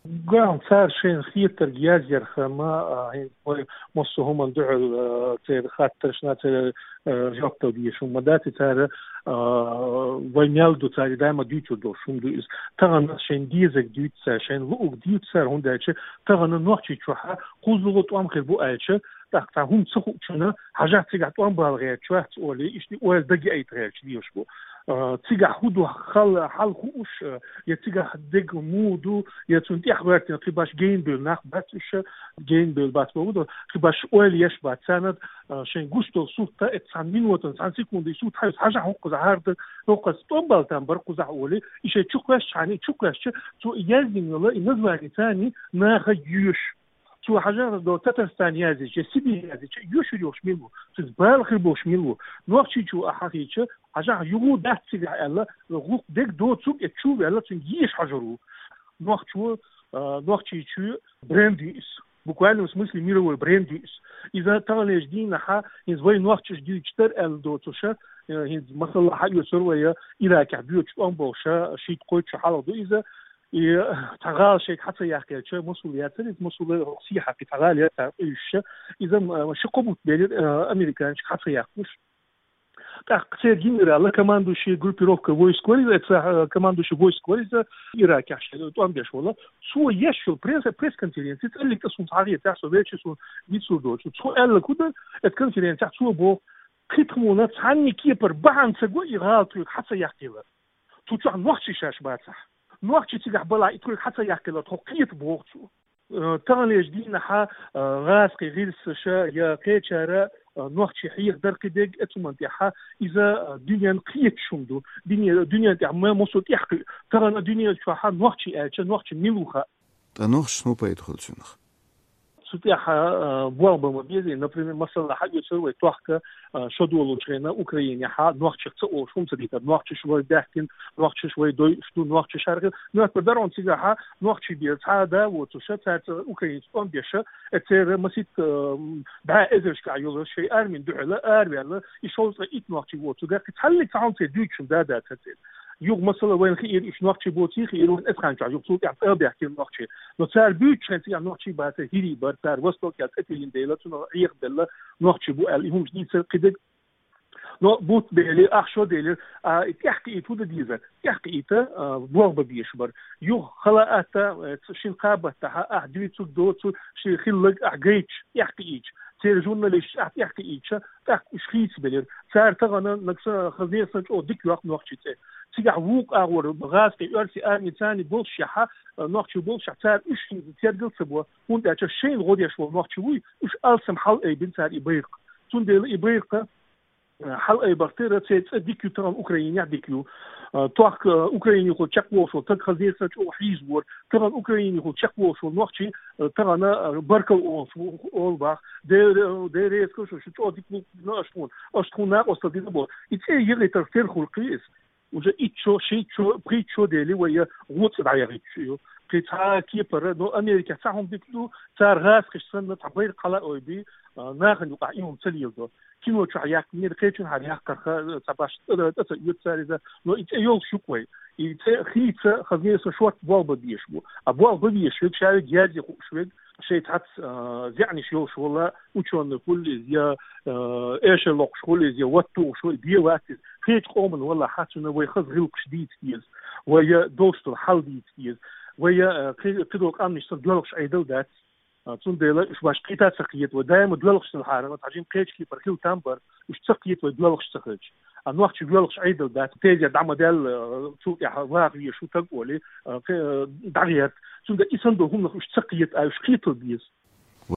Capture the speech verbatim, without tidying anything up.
Ган цар шайн хетарг язъярхама, а, хӀинца вай массо хӀуман дуьхьал, а, церан хаттаршна, церан, а, жоп дала дезаш хӀума дац, и цара, а, вай мел ду, цара даима дуьйцур долуш хӀума ду иза. Тахана шайн дезаг дуьйцу цара, шайн луъург дуьйцу цара, хӀунда аьлча тахана Нохчийчохьа кхузлагӀа тӀом хир бу аьлча, тӀаккха цхьа хӀума ца хуучунна, хьажахь цигахь тӀом бала гӀерташ вац олий, иштта ойла дага яийта гӀерташ дезаш бу. А, цигахь хӀун ду хала, хьал хууш, а, я цигахь дерг муха ду, я цунна тӀехьа гӀоьртина кхин баш генабевлла нах бац уьш, генабевлла бац бохург ду, кхин баш ойла еш бац. Царна, а, шайн гуш долу сурт, а, цхьана минотана, цхьана секундана сурт хьаьвза, хьажахь хӀокхузахь хӀара ду, хӀокхузахь тӀом бала там бара кхузахь олий, и шайн чу кхоьссича, и чу кхоьссича, цо и яздина йолу, и название царна наха йоьшу. Цо хьажахь до Татарстан яздича, Сибирь яздича, йоьшур йолуш мила ву? Цуьнца бала хир болуш мила ву? Нохчийчу а хьахийча, хьажахь юха дац цигахь аьлла, гӀуллакх дерг доцург а чу а ваьлла, цуьнга езаш хьожур ву. Нохчо, а, Нохчийчоь бренд ю иза. Буквальном смысле мировой бренд ю иза. Иза таханлерчу дийнахьа, хӀинца вай нохчаша дуьйцуш дара аьлла доцуша, а, хӀинца масала хьаоьцур вай Иракехь боьдуш тӀом болуша, шийтта-кхойтта шо хьалха ду иза, и цхьа гӀала шайга хьа ца яккхаелча, Мосул яцара иза, Мосул сехьа кхин цхьа гӀала яцара уьйшуша. Иза, м, ши-кхо бутт белира, а, американчиг хьа ца яккхалуш. ТӀаккха церан генерала, командующий группировка войск вара иза, цхьа, а, командующий войск вара иза, Иракехь шен тӀом беш вола. Цо еш йолу пресс-, пресс-конференци, цӀаллиг тӀе суна схьахетахь, со веача суна вицур доцу. Цо аьлларг хӀун дара, эцу конференцехь цо боху, кхин тхуна цхьанна кепара бахьана ца го и гӀала тхоьга хьа ца яккхалар. Цу чохь нохчий шаьш бацахь. Нохчий цигахь балахь и тхоьга хьа ца яккхалар, тхо кхета боху цо. Э, таханлерчу дийнахьа, э, гӀазкхий гӀирсаша я кхечара, э, нохчий хьехадар кхидерг, эцу хӀуманна тӀехьа иза, э, дуьненна кхеташ хӀума ду. Дуьне-, дуьненна тӀехь ма-, массо тӀехь кхуьу. Тахана дуьнен чохьа нохчий аьлча, нохчий мила ву хаьа. Ткъа нохчашна хӀун пайда хуьлу цунах? Цу тӀехь, а, болх бан ма безий. Например, масала, хьаоьцур вай тохка, а, шо долучу хенахь Украинехьа нохчех ца олуш хӀума ца дитар. Нохчаш вай баьхкина, нохчаш вай дойуш ду, нохчаш хьархира. Моьттур дара хьуна цигахьа нохчий бен цхьа а да а воцуша, цаьрца Украинца тӀом беша, э, церан масийтта, а, бӀе эзаршкахь йолу шайн армин дуьхьала араваьлла, и шовзткъе итт нохчий воцург, кхин цхьаллиг цхьа хӀума церан дуьйцуш хӀума да а дац церан. Юха масала вайна хиира, уьш нохчий боций хиира, вайн эцхьанчохь юха цул тӀаьхьа тӀе а баьхкира нохчий. Но цара буьйцучу хенахь цигахь нохчий бацара, хӀирий бара, цара востокехь цӀе тиллина дела, цунах Ӏехабелла нохчий бу аьлла, и хӀумаш дийцар кхидерг. Но бутт бели, ах шо делира, а, и тӀехкхиийта хӀун дан дезара? ТӀехкхиийта, а, болх бан безаш бара. Юха хала а атта, э, ц-, шина кхаа баттахьа, ахь дуьйцург доцург, шен хилларг ахь гайташ, тӀехкхиийча. Церан журналисташ ахь тӀехкхиийча, тӀаккха уьш хийцабелира. Цара тахана нагахь санна, хаза нагахь санна чӀогӀа дика йоккху нохчий цӀе. Цигахь вукху агӀор гӀазкхий, оьрсий арми царний болушшехьа, а, нохчий болушшехь, цара уьш хӀинца тергал ца бо, хӀунда аьлча шайна гӀо деш волу нохчий вуй, уьш алсам хьалаайбина цара и байракх. Цундела и байракх, а, хьалаайбарх тера церан цӀе дика ю, тахана Украинехь дика ю. А, тохка, а, Украинехула чекхволуш волу стаг хаза нагахь санна чӀогӀа хьийзавора. Тахана Украинехула чекхволуш волу нохчий, а, тахана, а, баркалла олуш ву-, олу боху. Дера, дера реза кхо шу, шу чӀогӀа дика ву-, аша тхуна, аша тхуна накъосталла дина боху. И цӀе яхийтарх тера хуьлу кхин иза. Уже итт шо, шийтта шо, пхийтта шо дели вай я гӀо цӀе дӀаяхийтуш ю. Кхин цхьа кепара, но Америкехь цхьа хӀума дика ду, цара гӀазкхашца санна цхьа байракх хьалаайбий, а, нахана юкъахь и хӀума ца леладо. Кино чохь яьккхинера, кхечунхьара яккхарх, а, цхьа башха, а, тӀе ца оьцу цара иза, но и цӀе йолуш ю-кх вай. И цӀе хийца, хаза нагахь санна шортта болх бан безаш бу. А болх бан безаш верг, ша верг, язъян хууш верг, шайн цхьацца, а, заьӀнаш йолуш вола, учёный хуьлу иза, я, а, эшар локхуш хуьлу иза, я ват тухуш хуьлу, бен вац иза. Кхечу къоман валахь, цунна вай хаза гӀиллакхаш дийца деза, вай я долуш долу хьал дийца деза, вай я, а, кхи-, кхидолу къаьмнаш санна доьлхуш Ӏедал дац. А, цундела уьш баш кхета а ца кхета вай. Даима доьлхуш ца хьарам, цхьа жимма кхечу кепара хила там бара, уьш ца кхета вай доьлхуш ца хилча. А нохчий доьлхуш Ӏедал дац, тезет дӀа ма даьлла, а, цул тӀаьхьа ваха везаш ву стаг олий, а, кхе-, а, дӀагӀерта. Цундела и санна долу хӀуманах уьш ца кхета, а уьш кхетар беза.